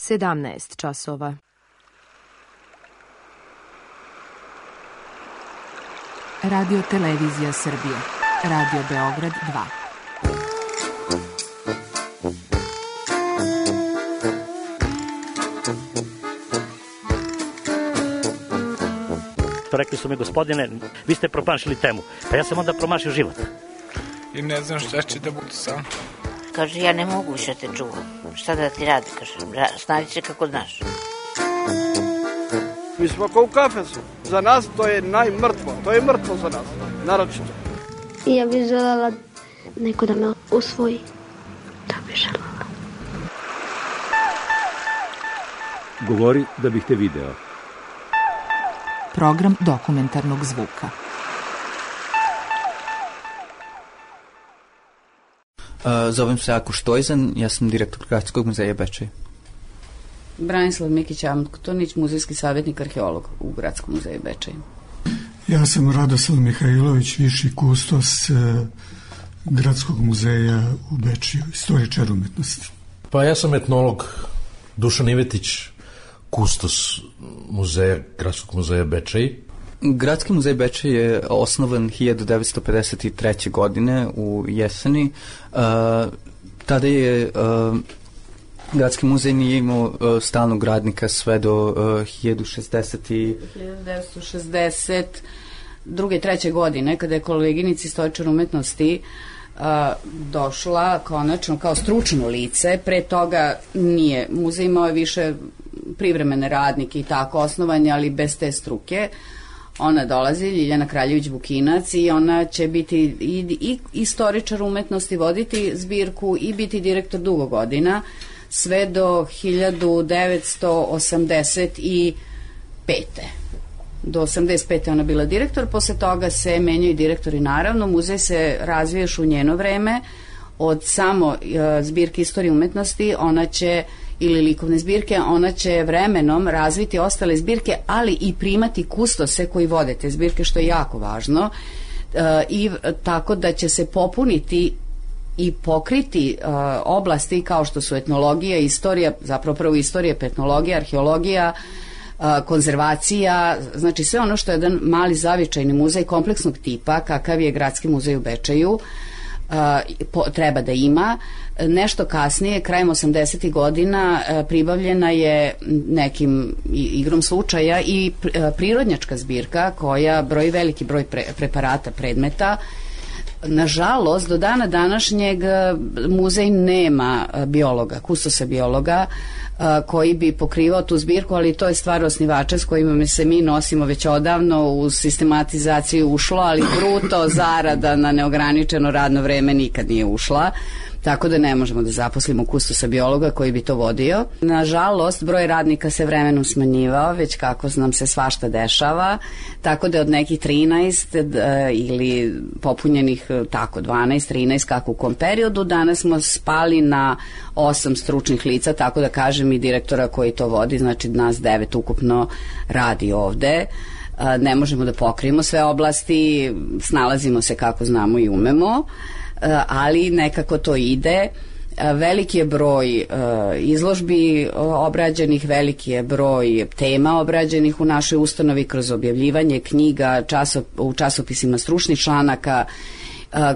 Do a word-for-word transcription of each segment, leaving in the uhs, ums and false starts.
sedamnaest časova. Radio Televizija Srbije. Radio Beograd dva. Rekli su mi, gospodine, vi ste promašili temu. Pa ja sam onda promašio život. I ne znam šta će da bude sam. Kaže, ja ne mogu više te čuvam. Šta da ti radi, kaže, snađi se kako znaš. Mi smo kao u kafesu. Za nas to je najmrtvo. To je mrtvo za nas, naročito. Ja bih želela neko da me usvoji. To bih želela. Govori da bih te video. Program dokumentarnog zvuka. Uh, zovem se Ako Štojzan, ja sam direktor Gradskog muzeja Bečej. Branislav Mikić-Amtonić, muzejski savjetnik, arheolog u Gradskom muzeju Bečej. Ja sam Radoslav Mihajlović, viši kustos uh, Gradskog muzeja u Bečeju, istoričar umetnosti. Pa ja sam etnolog Dušan Ivetić, kustos muzeja, Gradskog muzeja Bečej. Gradski muzej Bečej je osnovan hiljadu devetsto pedeset treće. godine u jeseni. Uh, tada je uh, Gradski muzej nije imao uh, stalnog radnika sve do uh, hiljadu devetsto šezdeset druge i treće godine, kada je koleginica istoričar umetnosti uh, došla konačno kao stručno lice. Pre toga nije. Muzej imao je više privremene radnike i tako osnovanje, ali bez te struke. Ona dolazi, Ljiljana Kraljević-Bukinac, i ona će biti i, i istoričar umetnosti, voditi zbirku i biti direktor dugo godina, sve do hiljadu devetsto osamdeset pete. Do osamdeset pete ona bila direktor, posle toga se menjaju direktori, naravno. Muzej se razviješ u njeno vreme, od samo uh, zbirke istorije umetnosti, ona će ili likovne zbirke, ona će vremenom razviti ostale zbirke, ali i primati kustose koji vode te zbirke, što je jako važno, e, i tako da će se popuniti i pokriti e, oblasti kao što su etnologija, istorija, zapravo prvo istorija, etnologija, arheologija, e, konzervacija, znači sve ono što je jedan mali zavičajni muzej kompleksnog tipa, kakav je Gradski muzej u Bečeju, Uh, po, treba da ima. Nešto kasnije, krajem osamdesetih godina, uh, pribavljena je nekim igrom slučaja i pr, uh, prirodnjačka zbirka koja broji veliki broj pre, preparata, predmeta. Nažalost, do dana današnjeg muzej nema biologa, kustosa biologa, koji bi pokrivao tu zbirku, ali to je stvar osnivača s kojima se mi nosimo već odavno. U sistematizaciju ušlo, ali bruto zarada na neograničeno radno vreme nikad nije ušla, tako da ne možemo da zaposlimo kustosa biologa koji bi to vodio. Nažalost, broj radnika se vremenom smanjivao, već kako nam se svašta dešava, tako da od nekih trinaest ili popunjenih tako dvanaest, trinaest, kako u kom periodu, danas smo spali na osam stručnih lica, tako da kažem, i direktora koji to vodi, znači nas devet ukupno radi ovde. Ne možemo da pokrijemo sve oblasti, snalazimo se kako znamo i umemo, ali nekako to ide. Veliki je broj izložbi obrađenih, veliki je broj tema obrađenih u našoj ustanovi kroz objavljivanje knjiga, časop, u časopisima stručnih članaka,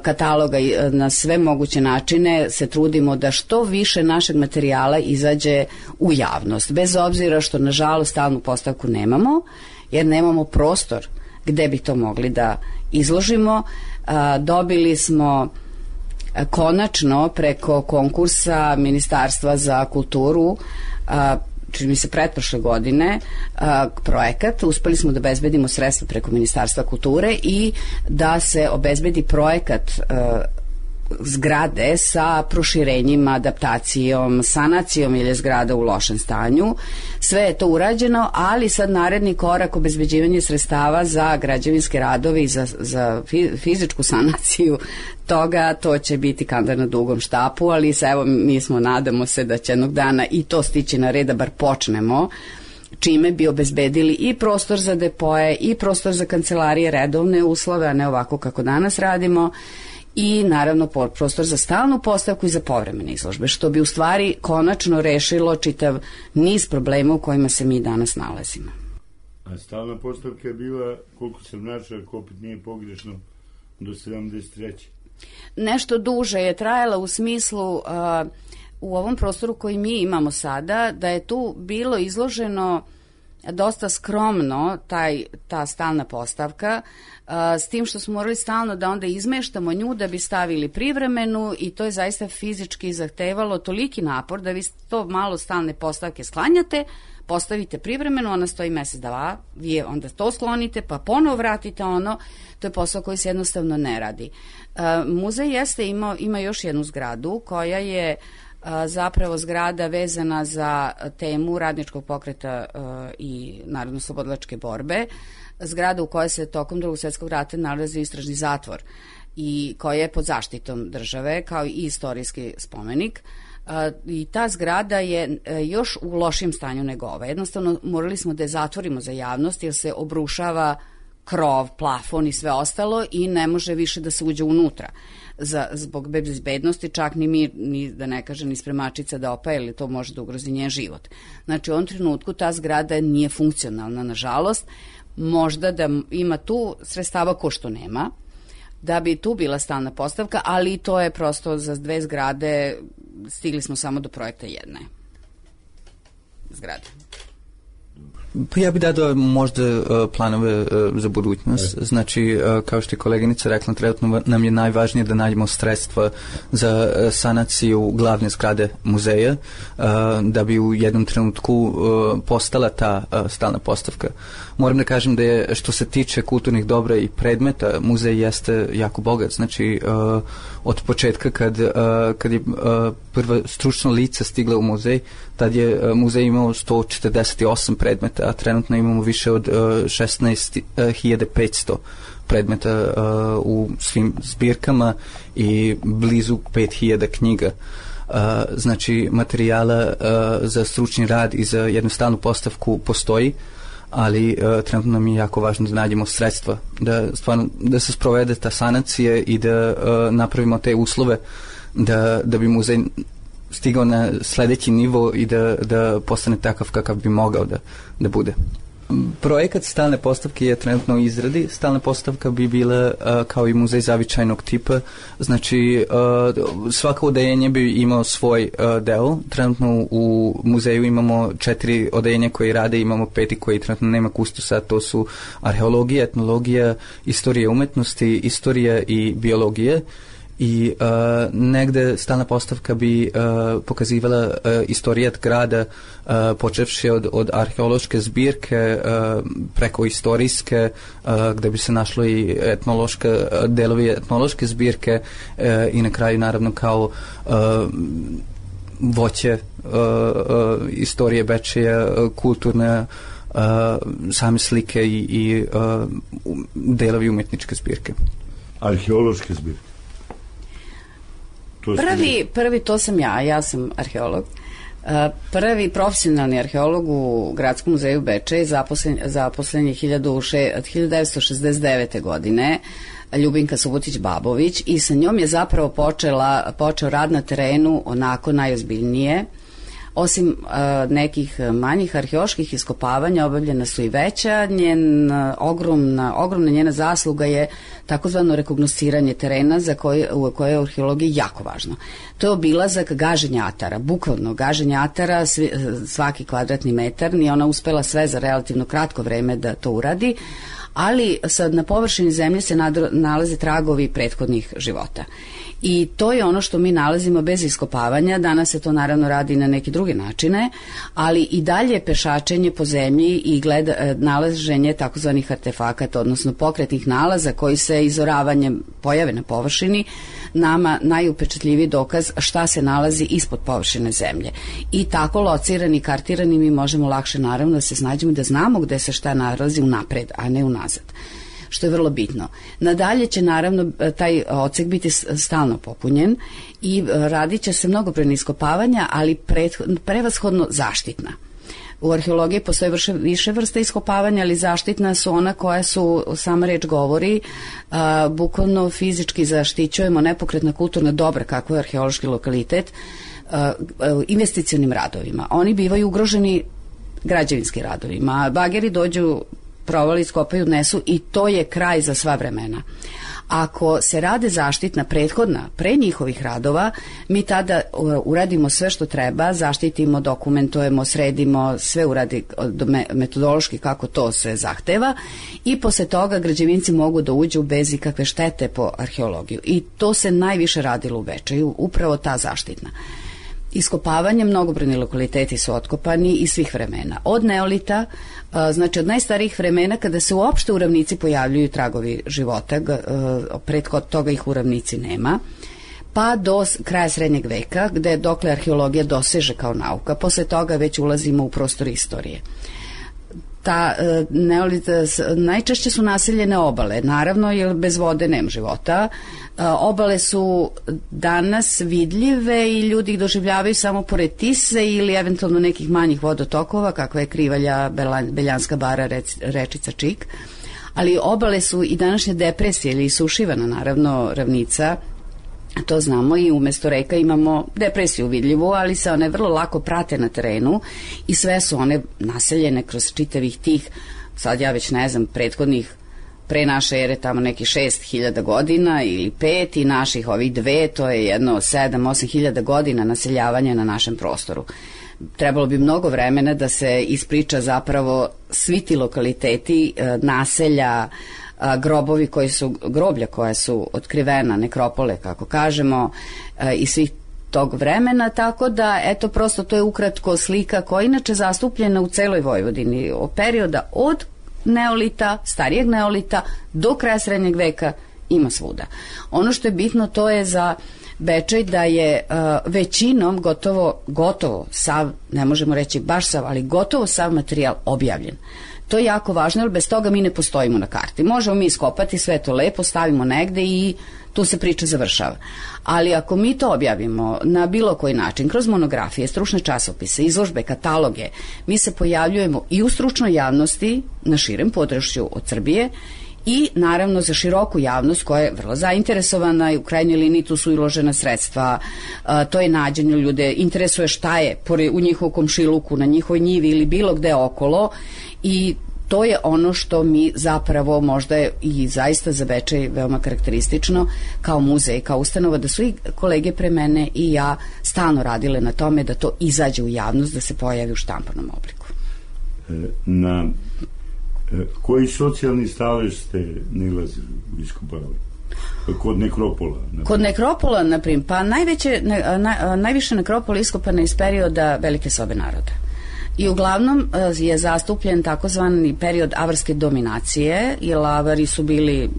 kataloga, na sve moguće načine se trudimo da što više našeg materijala izađe u javnost, bez obzira što nažalost stalnu postavku nemamo, jer nemamo prostor gde bi to mogli da izložimo. Dobili smo konačno preko konkursa Ministarstva za kulturu, čini mi se pretprošle godine, projekat. Uspeli smo da obezbedimo sredstva preko Ministarstva kulture i da se obezbedi projekat zgrade sa proširenjima, adaptacijom, sanacijom ili zgrada u lošem stanju. Sve je to urađeno, ali sad naredni korak, obezbeđivanje sredstava za građevinske radove i za, za fizičku sanaciju toga, to će biti kandar na dugom štapu, ali evo, mi smo, nadamo se da će jednog dana i to stići na red, da bar počnemo, čime bi obezbedili i prostor za depoje i prostor za kancelarije, redovne uslove, a ne ovako kako danas radimo, i naravno prostor za stalnu postavku i za povremene izložbe, što bi u stvari konačno rešilo čitav niz problema u kojima se mi danas nalazimo. A stalna postavka je bila, koliko sam načeo, ako opet nije pogrešno, do sedamdeset treće. Nešto duže je trajala u smislu uh, u ovom prostoru koji mi imamo sada, da je tu bilo izloženo dosta skromno taj, ta stalna postavka, uh, s tim što smo morali stalno da onda izmeštamo nju da bi stavili privremenu i to je zaista fizički zahtevalo toliki napor da vi to malo stalne postavke sklanjate, postavite privremeno, ona stoji mesec dva, vi onda to sklonite, pa ponovo vratite ono, to je posao koji se jednostavno ne radi. Uh, muzej jeste imao, ima još jednu zgradu koja je uh, zapravo zgrada vezana za temu radničkog pokreta uh, i narodno-slobodilačke borbe, zgrada u kojoj se tokom Drugog svjetskog rata nalazi istražni zatvor i koja je pod zaštitom države kao i istorijski spomenik. Uh, i ta zgrada je uh, još u lošim stanju nego ova. Jednostavno morali smo da je zatvorimo za javnost jer se obrušava krov, plafon i sve ostalo i ne može više da se uđe unutra. Za, zbog bezbednosti čak ni mi, ni, da ne kažem, ni spremačica da opa, ili to može da ugrozi njen život. Znači u ovom trenutku ta zgrada nije funkcionalna, nažalost. Možda da ima tu sredstava ko što nema, da bi tu bila stalna postavka, ali to je prosto za dve zgrade, stigli smo samo do projekta jedne zgrade. Pa ja bih dao možda uh, planove uh, za budućnost. Znači, uh, kao što je koleginica rekla, trenutno nam je najvažnije da nađemo sredstva za uh, sanaciju glavne zgrade muzeja, uh, da bi u jednom trenutku uh, postala ta uh, stalna postavka. Moram da kažem da je, što se tiče kulturnih dobra i predmeta, muzej jeste jako bogat. Znači, uh, od početka kad, uh, kad je uh, prva stručna lica stigla u muzej, tad je uh, muzej imao sto četrdeset osam predmeta, a trenutno imamo više od uh, šesnaest hiljada petsto predmeta uh, u svim zbirkama i blizu pet hiljada knjiga. Uh, znači, materijala uh, za stručni rad i za jednu stalnu postavku postoji, ali uh, trenutno nam je jako važno da nađemo sredstva, da, stvarno, da se sprovede ta sanacija i da uh, napravimo te uslove da, da bi muzej stigao na sledeći nivo i da, da postane takav kakav bi mogao da, da bude. Projekat stalne postavke je trenutno u izradi. Stalna postavka bi bila uh, kao i muzej zavičajnog tipa. Znači, uh, svako odeljenje bi imao svoj uh, deo. Trenutno u muzeju imamo četiri odeljenja koji rade, imamo peti koji trenutno nema kustosa. To su arheologija, etnologija, istorija umetnosti, istorija i biologija. I uh, negde stalna postavka bi uh, pokazivala uh, istorijat grada, uh, počevši od, od arheološke zbirke uh, preko istorijske, uh, gde bi se našlo i etnološka, uh, delovi etnološke zbirke uh, i na kraju naravno kao uh, voće uh, uh, istorije Bečeja, uh, kulturne uh, same slike i, i uh, delovi umetničke zbirke. Arheološke zbirke. Prvi, prvi, to sam ja, ja sam arheolog. Prvi profesionalni arheolog u Gradskom muzeju Bečej je zaposlen, zaposlen je hiljadu devetsto šezdeset devete. godine, Ljubinka Subotić-Babović, i sa njom je zapravo počela, počeo rad na terenu onako najozbiljnije. Osim uh, nekih manjih arheoloških iskopavanja obavljena su i veća. Njen, uh, ogromna, ogromna njena zasluga je takozvano rekognosciranje terena za koje, u koje je arheologija jako važno. To je obilazak gaženja atara, bukvalno gaženja atara, svi, svaki kvadratni metar, nije ona uspela sve za relativno kratko vreme da to uradi, ali sad na površini zemlje se nadro, nalaze tragovi prethodnih života. I to je ono što mi nalazimo bez iskopavanja. Danas se to naravno radi na neke druge načine, ali i dalje pešačenje po zemlji i gleda, nalaženje takozvanih artefakata, odnosno pokretnih nalaza koji se izoravanjem pojave na površini nama najupečatljiviji dokaz šta se nalazi ispod površine zemlje. I tako locirani, kartirani mi možemo lakše naravno da se snađemo, da znamo gde se šta nalazi unapred, a ne unazad, što je vrlo bitno. Nadalje će naravno taj odsek biti stalno popunjen i radit će se mnogobrojna iskopavanja, ali prevashodno zaštitna. U arheologiji postoje vrše, više vrsta iskopavanja, ali zaštitna su ona koja su, sama reč govori, a, bukvalno fizički zaštićujemo nepokretna kulturna dobra, kako je arheološki lokalitet, a, a, investicionim radovima. Oni bivaju ugroženi građevinskim radovima. Bageri dođu, provali, iskopaju, odnesu i to je kraj za sva vremena. Ako se rade zaštitna prethodna pre njihovih radova, mi tada uradimo sve što treba, zaštitimo, dokumentujemo, sredimo, sve uradi metodološki kako to se zahteva i posle toga građevinci mogu da uđu bez ikakve štete po arheologiju. I to se najviše radilo u Bečeju, upravo ta zaštitna. Iskopavanje, mnogobrojni lokaliteti su otkopani iz svih vremena. Od neolita, znači od najstarijih vremena kada se uopšte u ravnici pojavljuju tragovi života, prethodno toga ih u ravnici nema, pa do kraja srednjeg veka, gde dokle arheologija doseže kao nauka, posle toga već ulazimo u prostor istorije. Ta neolita, najčešće su naseljene obale, naravno, jer bez vode nema života. Obale su danas vidljive i ljudi ih doživljavaju samo pored Tise ili eventualno nekih manjih vodotokova, kakva je Krivalja, Beljanska bara, rečica Čik, ali obale su i današnje depresije ili isušivana, naravno, ravnica. To znamo i umesto reka imamo depresiju vidljivu, ali se one vrlo lako prate na terenu i sve su one naseljene kroz čitavih tih, sad ja već ne znam, prethodnih pre naše ere tamo neki šest hiljada godina ili pet i naših ovih dve, to je jedno sedam, osam hiljada godina naseljavanja na našem prostoru. Trebalo bi mnogo vremena da se ispriča zapravo svi ti lokaliteti, naselja, grobovi koji su, groblja koja su otkrivena, nekropole kako kažemo, i svih tog vremena, tako da eto prosto to je ukratko slika koja je inače zastupljena u celoj Vojvodini od perioda od neolita, starijeg neolita do kraja srednjeg veka, ima svuda. Ono što je bitno to je za Bečej da je uh, većinom gotovo, gotovo sav, ne možemo reći baš sav, ali gotovo sav materijal objavljen. To je jako važno, jer bez toga mi ne postojimo na karti. Možemo mi iskopati sve to lepo, stavimo negde i tu se priča završava. Ali ako mi to objavimo na bilo koji način, kroz monografije, stručne časopise, izložbe, kataloge, mi se pojavljujemo i u stručnoj javnosti na širem području od Srbije i naravno za široku javnost koja je vrlo zainteresovana i u krajnjoj liniji tu su uložena sredstva, a, to je nađenje ljude, interesuje šta je u njihovom komšiluku, na njihovoj njivi ili bilo gde okolo i to je ono što mi zapravo možda je i zaista za Bečej veoma karakteristično kao muzej, kao ustanova, da su i kolege pre mene i ja stalno radile na tome da to izađe u javnost, da se pojavi u štampanom obliku. Na koji socijalni stalež ste nalazili u iskopavali? Kod nekropola? Naprimjer. Kod nekropola, naprimjer, pa najveće, na, najviše nekropola iskopane iz perioda Velike sobe naroda. I uglavnom je zastupljen takozvani period avarske dominacije, jer avari su bili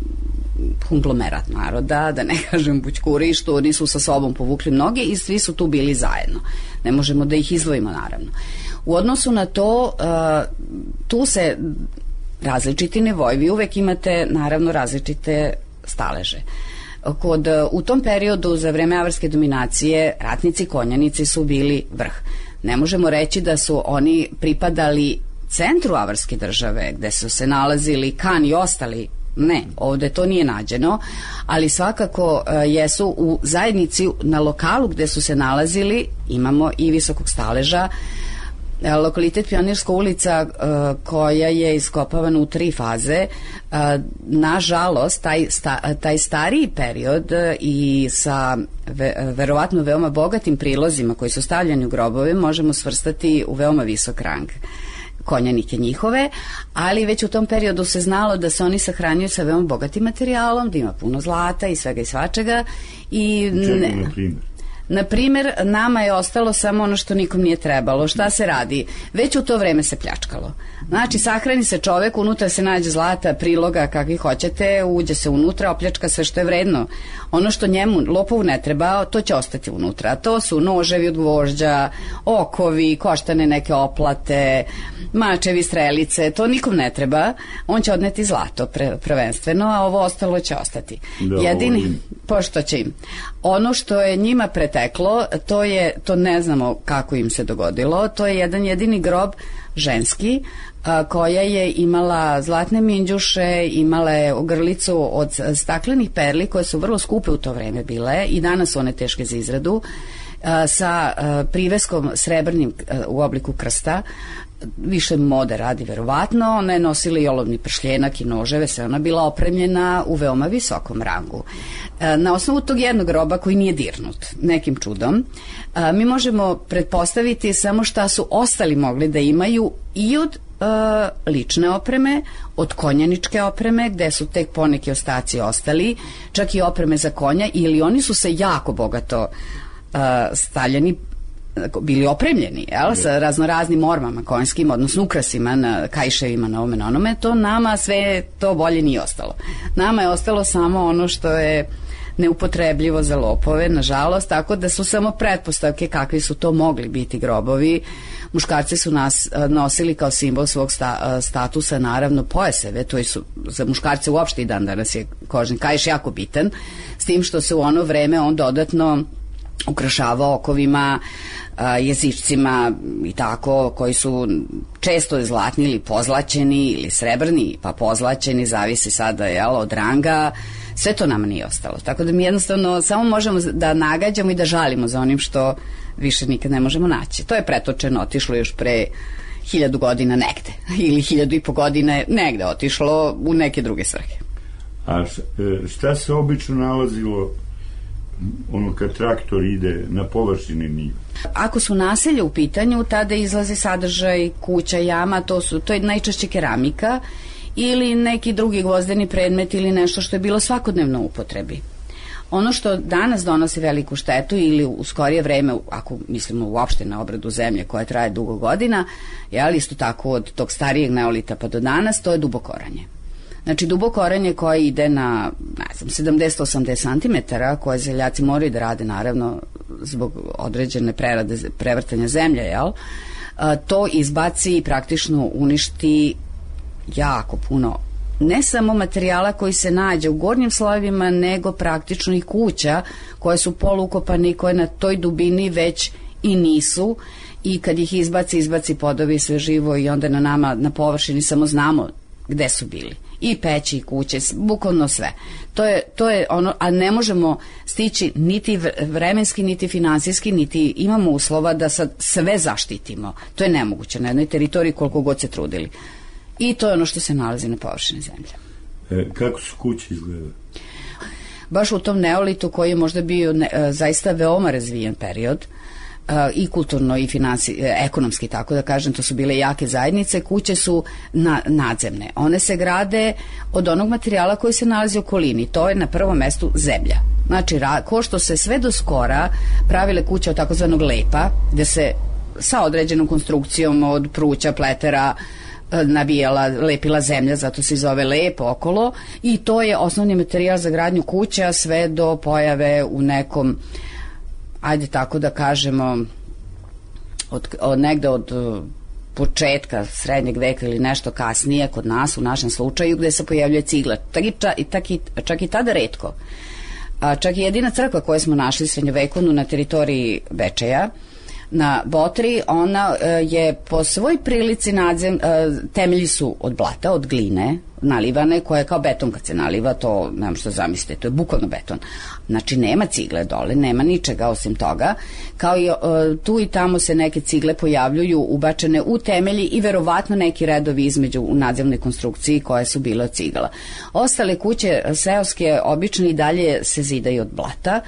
konglomerat naroda, da ne kažem bućkuri, što nisu sa sobom povukli mnoge i svi su tu bili zajedno. Ne možemo da ih izdvojimo, naravno. U odnosu na to, tu se različiti nivoji, vi uvek imate, naravno, različite staleže. Kod, u tom periodu, za vreme avarske dominacije, ratnici, konjanici su bili vrh. Ne možemo reći da su oni pripadali centru avarske države, gde su se nalazili kan i ostali. Ne, ovde to nije nađeno, ali svakako uh, jesu u zajednici na lokalu gde su se nalazili, imamo i visokog staleža. Uh, lokalitet Pionirska ulica uh, koja je iskopavana u tri faze, uh, nažalost taj, sta, taj stariji period uh, i sa ve, verovatno veoma bogatim prilozima koji su stavljeni u grobove možemo svrstati u veoma visok rang konjanike njihove, ali već u tom periodu se znalo da se oni sahranjuju sa veoma bogatim materijalom, da ima puno zlata i svega i svačega. I čega, na primjer? Na primjer, nama je ostalo samo ono što nikom nije trebalo. Šta se radi? Već u to vreme se pljačkalo. Znači, sahrani se čovek, unutra se nađe zlata, priloga, kakvi hoćete, uđe se unutra, opljačka sve što je vredno. Ono što njemu, lopovu ne treba, to će ostati unutra. To su noževi od gvožđa, okovi, koštane neke oplate, mačevi, strelice, to nikom ne treba. On će odneti zlato pre, prvenstveno, a ovo ostalo će ostati. Da, Jedini, ovo... pošto će im. Ono što je njima preteklo, to je, to ne znamo kako im se dogodilo, to je jedan jedini grob ženski, a, koja je imala zlatne minđuše, imala je ogrlicu od staklenih perli koje su vrlo skupe u to vreme bile i danas su one teške za izradu, a, sa a, priveskom srebrnim a, u obliku krsta, više mode radi verovatno, ona je nosila i olovni pršljenak i noževe, sve ona bila opremljena u veoma visokom rangu. Na osnovu tog jednog groba koji nije dirnut nekim čudom, mi možemo pretpostaviti samo šta su ostali mogli da imaju i od lične opreme, od konjaničke opreme, gde su tek poneki ostaci ostali, čak i opreme za konja, ili oni su se jako bogato stavljeni, bili opremljeni, jel, sa raznoraznim ormama konjskim, odnosno ukrasima na kajševima, na ovome, na onome, to nama sve to bolje nije ostalo. Nama je ostalo samo ono što je neupotrebljivo za lopove, nažalost, tako da su samo pretpostavke kakvi su to mogli biti grobovi. Muškarci su nas nosili kao simbol svog sta, statusa, naravno, pojaseve, to su za muškarce uopšte i dan danas je kožni kaiš jako bitan, s tim što se u ono vreme on dodatno ukrašavao okovima, jezičcima i tako, koji su često zlatni ili pozlaćeni ili srebrni, pa pozlaćeni, zavisi sada, jel, od ranga. Sve to nam nije ostalo. Tako da mi jednostavno samo možemo da nagađamo i da žalimo za onim što više nikad ne možemo naći. To je pretočeno, otišlo još pre hiljadu godina negde, ili hiljadu i po godine negde otišlo u neke druge svrhe. A šta se obično nalazilo ono kad traktor ide na površini njive? Ako su naselje u pitanju, tada izlazi sadržaj kuća, jama, to su, to je najčešće keramika ili neki drugi gvozdeni predmet ili nešto što je bilo svakodnevno u upotrebi. Ono što danas donosi veliku štetu ili u skorije vreme, ako mislimo uopšte na obradu zemlje koja traje dugo godina, jel, isto tako od tog starijeg neolita pa do danas, to je dubokoranje. Znači, dubokoranje koje ide na, ne znam, sedamdeset do osamdeset santimetara, koje zeljaci moraju da rade, naravno, zbog određene prerade, prevrtanja zemlje, jel? A, to izbaci i praktično uništi jako puno, ne samo materijala koji se nađe u gornjim slojevima, nego praktično i kuća koje su polukopane i koje na toj dubini već i nisu, i kad ih izbaci, izbaci podovi sve živo i onda na nama, na površini samo znamo gde su bili. I peći, i kuće, bukvalno sve. To je, to je ono, a ne možemo stići niti vremenski, niti finansijski, niti imamo uslova da sad sve zaštitimo. To je nemoguće na jednoj teritoriji koliko god se trudili. I to je ono što se nalazi na površini zemlje. E, kako su kuće izgledale? Baš u tom neolitu koji je možda bio ne, zaista veoma razvijen period, i kulturno i finansi, ekonomski, tako da kažem, to su bile jake zajednice, kuće su na, nadzemne. One se grade od onog materijala koji se nalazi u okolini, to je na prvom mestu zemlja. Znači, ra, ko što se sve do skora pravile kuće od takozvanog lepa, gde se sa određenom konstrukcijom od pruća, pletera, nabijala, lepila zemlja, zato se zove lep okolo, i to je osnovni materijal za gradnju kuća sve do pojave u nekom, ajde tako da kažemo, od, od negde od početka srednjeg veka ili nešto kasnije kod nas, u našem slučaju, gde se pojavljuje cigla. Tak i, ča, i, tak i, čak i tada retko. A, čak i jedina crkva koju smo našli srednjovekovnu na teritoriji Bečeja, na Botri, ona e, je po svoj prilici nadzem, e, temelji su od blata, od gline, nalivane, koja je kao beton kad se naliva, to nemam što zamislite, to je bukvalno beton. Znači, nema cigle dole, nema ničega osim toga, kao i e, tu i tamo se neke cigle pojavljuju ubačene u temelji i verovatno neki redovi između u nadzemnoj konstrukciji koje su bile od cigala. Ostale kuće seoske obično i dalje se zidaju od blata.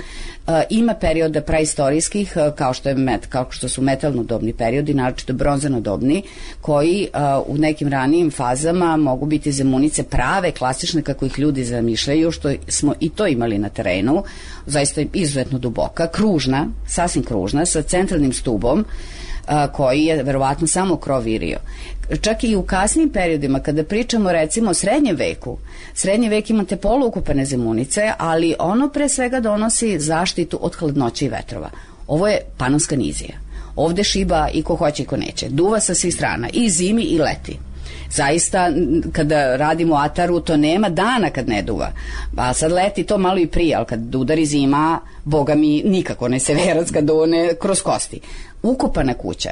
Uh, ima perioda praistorijskih, uh, kao što je met, kao što su metalnodobni periodi, naročito bronzanodobni, koji uh, u nekim ranijim fazama mogu biti zemunice prave, klasične kako ih ljudi zamišljaju, što smo i to imali na terenu, zaista izuzetno duboka, kružna, sasvim kružna, sa centralnim stubom, a, koji je verovatno samo krov virio. Čak i u kasnim periodima, kada pričamo recimo o srednjem veku, srednji vek imate poluukopane zemunice, ali ono pre svega donosi zaštitu od hladnoće i vetrova. Ovo je panonska nizija. Ovde šiba i ko hoće i ko neće. Duva sa svih strana, i zimi i leti. Zaista, kada radimo u ataru, to nema dana kad ne duva. A sad leti to malo i prije, ali kad udari zima, boga mi nikako ne severac kad dune kroz kosti. Ukopana kuća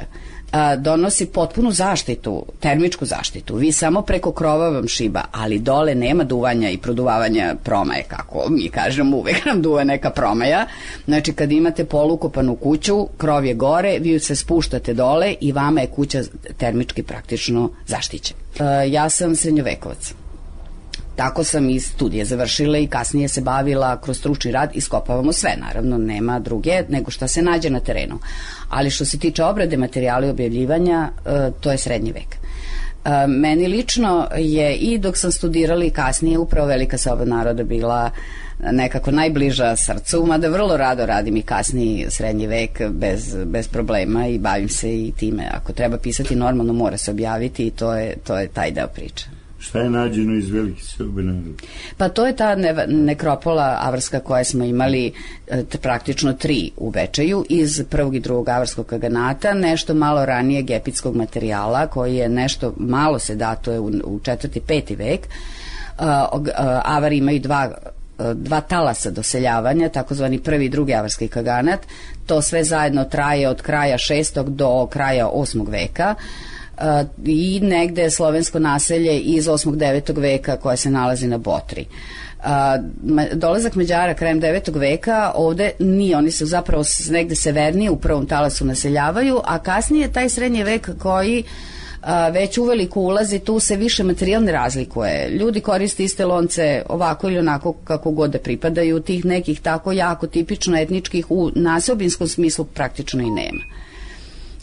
a, donosi potpunu zaštitu, termičku zaštitu. Vi samo preko krova vam šiba, ali dole nema duvanja i produvavanja promaje, kako mi kažemo, uvek nam duva neka promaja. Znači, kad imate polukopanu kuću, krov je gore, vi se spuštate dole i vama je kuća termički praktično zaštićena. A, ja sam srednjovekovac. Tako sam i studije završila i kasnije se bavila kroz stručni rad, iskopavamo sve, naravno nema druge nego šta se nađe na terenu. Ali što se tiče obrade materijala i objavljivanja, to je srednji vek. Meni lično je i dok sam studirala i kasnije upravo Velika soba naroda bila nekako najbliža srcu, mada vrlo rado radim i kasniji srednji vek bez, bez problema i bavim se i time. Ako treba pisati normalno, mora se objaviti i to je, to je taj deo priče. Šta je nađeno iz Velike sobe naroda? Pa to je ta ne, nekropola avarska koja smo imali e, praktično tri u Bečeju iz prvog i drugog avarskog kaganata, nešto malo ranije gepitskog materijala koji je nešto malo se datuje u, u četvrti, peti vek. E, avari imaju dva dva talasa doseljavanja, takozvani prvi i drugi avarski kaganat. To sve zajedno traje od kraja šestog do kraja osmog veka. Uh, i negde slovensko naselje iz osmog devetog veka koje se nalazi na Botri. Uh, dolazak Mađara krajem devetog veka ovde nije, oni se zapravo negde severnije u prvom talasu naseljavaju, a kasnije taj srednji vek koji uh, već uveliko ulazi, tu se više materijal ne razlikuje. Ljudi koriste iste lonce ovako ili onako kako god da pripadaju, tih nekih tako jako tipično etničkih u naseobinskom smislu praktično i nema.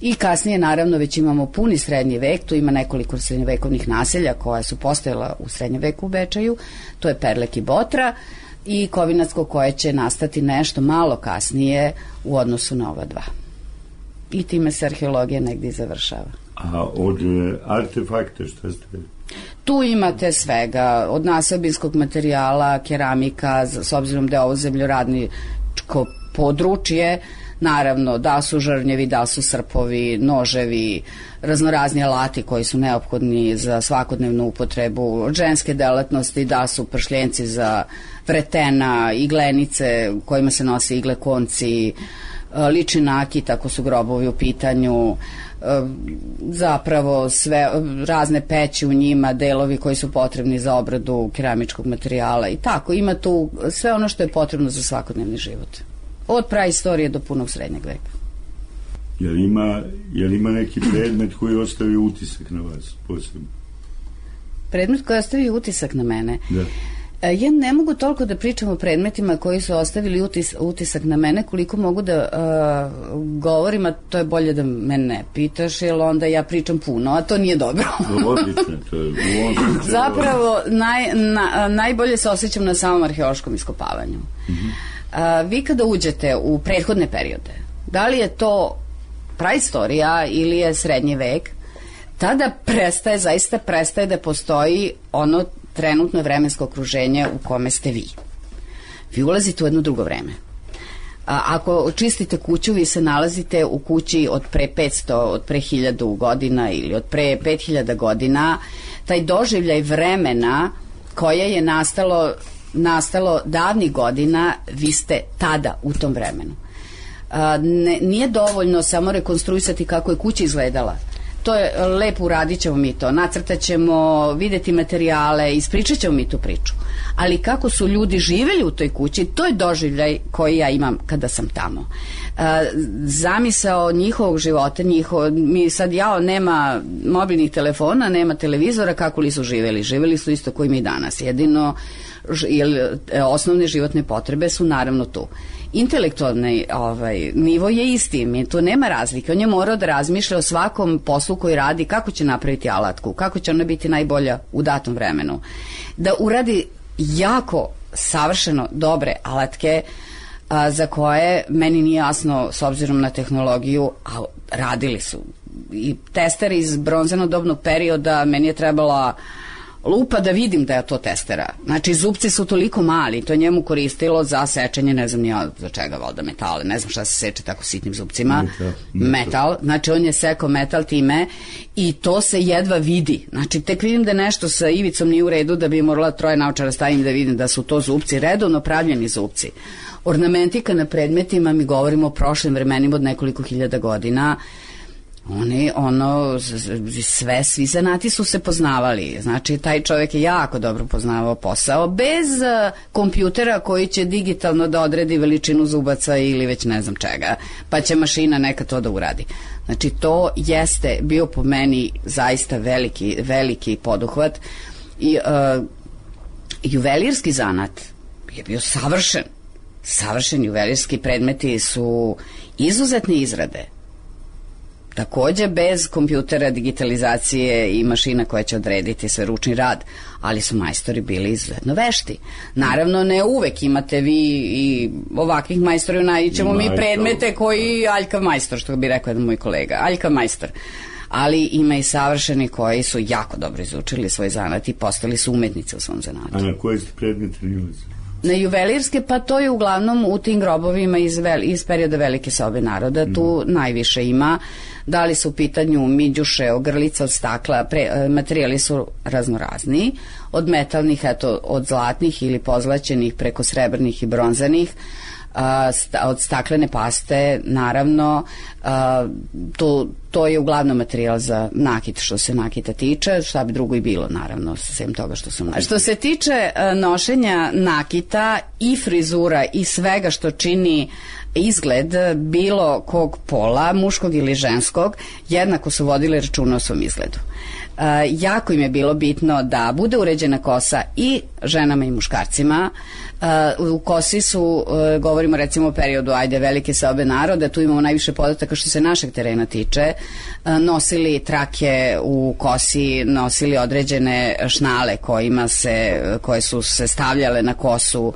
I kasnije, naravno, već imamo puni srednji vek, tu ima nekoliko srednjevekovnih naselja koja su postojala u srednjem veku u Bečeju, to je Perlek i Botra i Kovinatsko koje će nastati nešto malo kasnije u odnosu na ova dva. I time se arheologija negdje i završava. A od artefakta šta ste? Tu imate svega, od naseobinskog materijala, keramika, s obzirom da je ovo zemljoradničko područje, naravno, da su žrnjevi, da su srpovi, noževi, raznorazni alati koji su neophodni za svakodnevnu upotrebu, ženske delatnosti, da su pršljenci za vretena, iglenice kojima se nose igle konci, lični nakit ako su grobovi u pitanju, zapravo sve razne peći u njima, delovi koji su potrebni za obradu keramičkog materijala i tako, ima tu sve ono što je potrebno za svakodnevni život. Od praistorije do punog srednjeg veka. Jel ima, jel ima neki predmet koji ostavi utisak na vas posebno? Predmet koji ostavi utisak na mene? Da. Ja ne mogu toliko da pričam o predmetima koji su ostavili utis, utisak na mene, koliko mogu da uh, govorim, a to je bolje da mene ne pitaš, jer onda ja pričam puno, a to nije dobro. Odlično, to je u ovom slučaju. Zapravo, naj, na, najbolje se osjećam na samom arheološkom iskopavanju. Mm-hmm. A, vi kada uđete u prethodne periode, da li je to praistorija ili je srednji vek, tada prestaje, zaista prestaje da postoji ono trenutno vremensko okruženje u kome ste vi. Vi ulazite u jedno drugo vreme. A, ako čistite kuću, vi se nalazite u kući od pre petsto, od pre hiljadu godina ili od pre pet hiljada godina. Taj doživljaj vremena koje je nastalo nastalo davnih godina, vi ste tada u tom vremenu. A, ne, nije dovoljno samo rekonstruisati kako je kuća izgledala. To je lepo, uradit ćemo mi to, nacrtat ćemo, videti materijale, ispričat ćemo mi tu priču. Ali kako su ljudi živjeli u toj kući, to je doživljaj koji ja imam kada sam tamo. A, zamisao njihovog života, njihov, mi sad jao, nema mobilnih telefona, nema televizora, kako li su živjeli? Živjeli su isto koji mi danas. Jedino jer osnovne životne potrebe su naravno tu. Intelektualni ovaj, nivo je isti, mi tu nema razlike. On je morao da razmišlja o svakom poslu koji radi, kako će napraviti alatku, kako će ona biti najbolja u datom vremenu. Da uradi jako savršeno dobre alatke a, za koje meni nije jasno s obzirom na tehnologiju, a radili su. I tester iz bronzano-dobnog perioda, meni je trebala lupa da vidim da je to testera. Znači, zupci su toliko mali, to je njemu koristilo za sečenje, ne znam nija za čega, valjda metale, ne znam šta se seče tako sitnim zupcima. Metal. Metal, znači on je sekao metal time i to se jedva vidi. Znači, tek vidim da nešto sa ivicom nije u redu, da bi morala troje naučara stavim da vidim da su to zupci, redovno pravljeni zupci. Ornamentika na predmetima, mi govorimo o prošlim vremenima od nekoliko hiljada godina, oni, ono, sve, svi zanati su se poznavali. Znači, taj čovjek je jako dobro poznavao posao, bez uh, kompjutera koji će digitalno da odredi veličinu zubaca ili već ne znam čega, pa će mašina neka to da uradi. Znači, to jeste bio po meni zaista veliki, veliki poduhvat. I uh, juvelirski zanat je bio savršen. Savršen juvelirski predmeti su izuzetne izrade. Takođe bez kompjutera, digitalizacije i mašina koja će odrediti sve ručni rad, ali su majstori bili izuzetno vešti. Naravno, ne uvek imate vi i ovakvih majstora, nađemo mi predmete koji aljkav majstor, što bi rekao jedan moj kolega, aljkav majstor. Ali ima i savršeni koji su jako dobro izučili svoj zanat i postali su umetnice u svom zanatu. A na koje ste predmete nilazili? Na juvelirske, pa to je uglavnom u tim grobovima iz, vel, iz perioda Velike sobe naroda, tu mm. najviše ima. Da li su u pitanju miđuše, ogrlica od stakla, pre, materijali su raznorazni, od metalnih, eto, od zlatnih ili pozlaćenih preko srebrnih i bronzanih, a, sta, od staklene paste, naravno, a, to, to je uglavnom materijal za nakit, što se nakita tiče, šta bi drugo i bilo, naravno, sem toga što su nakita. Što se tiče a, nošenja nakita i frizura i svega što čini izgled bilo kog pola, muškog ili ženskog, jednako su vodili računa o svom izgledu. Uh, jako im je bilo bitno da bude uređena kosa i ženama i muškarcima. Uh, u kosi su, uh, govorimo recimo o periodu, ajde, Velike sobe naroda, tu imamo najviše podataka što se našeg terena tiče, uh, nosili trake u kosi, nosili određene šnale kojima se, koje su se stavljale na kosu,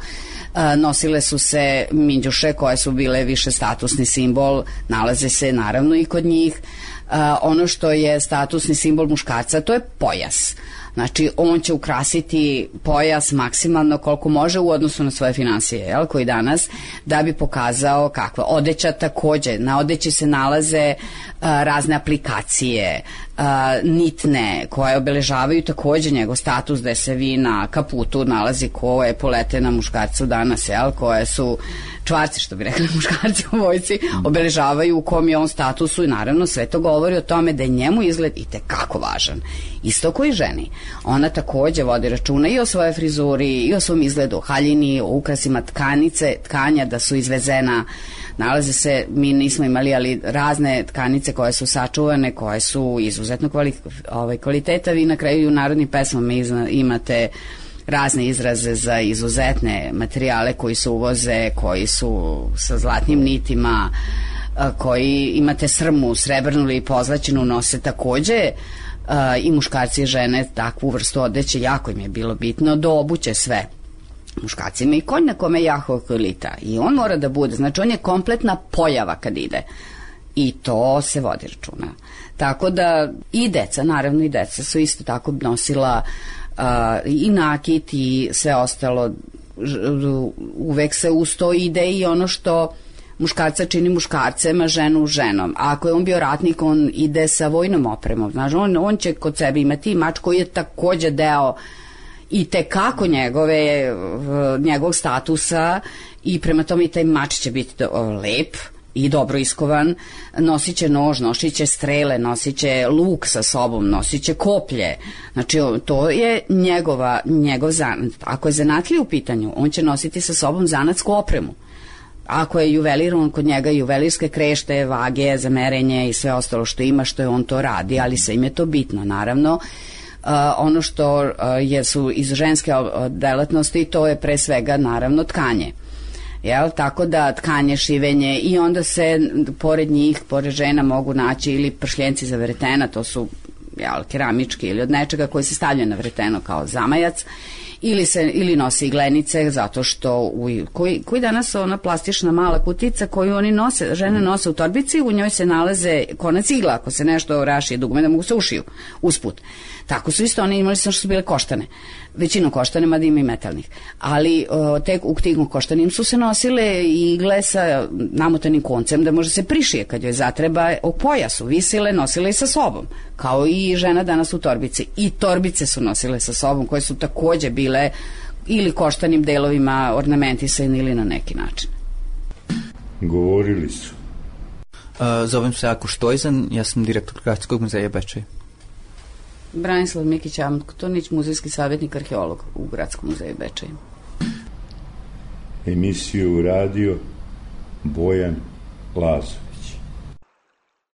Uh, nosile su se minđuše koje su bile više statusni simbol, nalaze se naravno i kod njih. Uh, ono što je statusni simbol muškarca, to je pojas. Znači, on će ukrasiti pojas maksimalno koliko može u odnosu na svoje finansije, jel, koji danas, da bi pokazao kakva. Odeća takođe, na odeći se nalaze uh, razne aplikacije, uh, nitne, koje obeležavaju takođe njegov status, da se vi na kaputu nalazi ko je polete na muškarcu danas, jel, koje su čvarci, što bi rekli muškarci u vojci, obeležavaju u kom je on statusu i naravno sve to govori o tome da je njemu izgled i tekako važan. Isto koji ženi. Ona takođe vodi računa i o svojoj frizuri, i o svom izgledu, haljini, o ukrasima tkanice, tkanja da su izvezena. Nalaze se, mi nismo imali, ali razne tkanice koje su sačuvane, koje su izuzetno kvali, ovaj, kvaliteta. Vi na kraju u narodnim pesmama imate razne izraze za izuzetne materijale koji se uvoze, koji su sa zlatnim nitima, koji imate srmu, srebrnu ili pozlaćenu, nose takođe i muškarci i žene takvu vrstu odeće, jako im je bilo bitno do obuće sve. Muškarci ima i konj na kome je Jahova kolita i on mora da bude, znači on je kompletna pojava kad ide i to se vodi računa. Tako da i deca, naravno i deca su isto tako nosila uh, i nakit i sve ostalo, uvek se uz to ide i ono što muškarca čini muškarcem, a ženu ženom. A ako je on bio ratnik, on ide sa vojnom opremom. Znači, on, on će kod sebe imati mač koji je takođe deo i tekako njegove, njegovog statusa i prema tome i taj mač će biti lep i dobro iskovan, nosit će nož, nosit će strele, nosit će luk sa sobom, nosit će koplje. Znači, to je njegova, njegov zanat. Ako je zanatlija u pitanju, on će nositi sa sobom zanatsku opremu. Ako je juvelir, on kod njega juvelirske krešte, vage za merenje i sve ostalo što ima, što je on to radi, ali sve im je to bitno, naravno. Uh, ono što uh, je su iz ženske delatnosti, to je pre svega naravno tkanje. Jel? Tako da tkanje, šivenje i onda se pored njih, pored žena mogu naći ili pršljenci za vretena, to su jel, keramički ili od nečega koji se stavljaju na vreteno kao zamajac, ili se ili nosi iglenice zato što u, koji, koji danas ona plastična mala kutica koju oni nose, žene nose u torbici, u njoj se nalaze konac igla ako se nešto rašije dugme da mogu se ušiju usput. Tako su isto oni imali, samo što su bile koštane, većinom koštane, mada ima i metalnih, ali o, tek u tim koštanim su se nosile igle sa namotanim koncem da može se prišije kad joj zatreba o pojasu, visile, nosile i sa sobom, kao i žena danas u torbici, i torbice su nosile sa sobom koje su takođe bile ili koštanim delovima ornamentisane ili na neki način. Govorili su. Uh, zovem se Ako Štojzan, ja sam direktor Gradskog muzeja Bečej. Branislav Mikić Antonić, muzejski savjetnik, arheolog u Gradskom muzeju Bečej. Emisiju radio Bojan Lazo.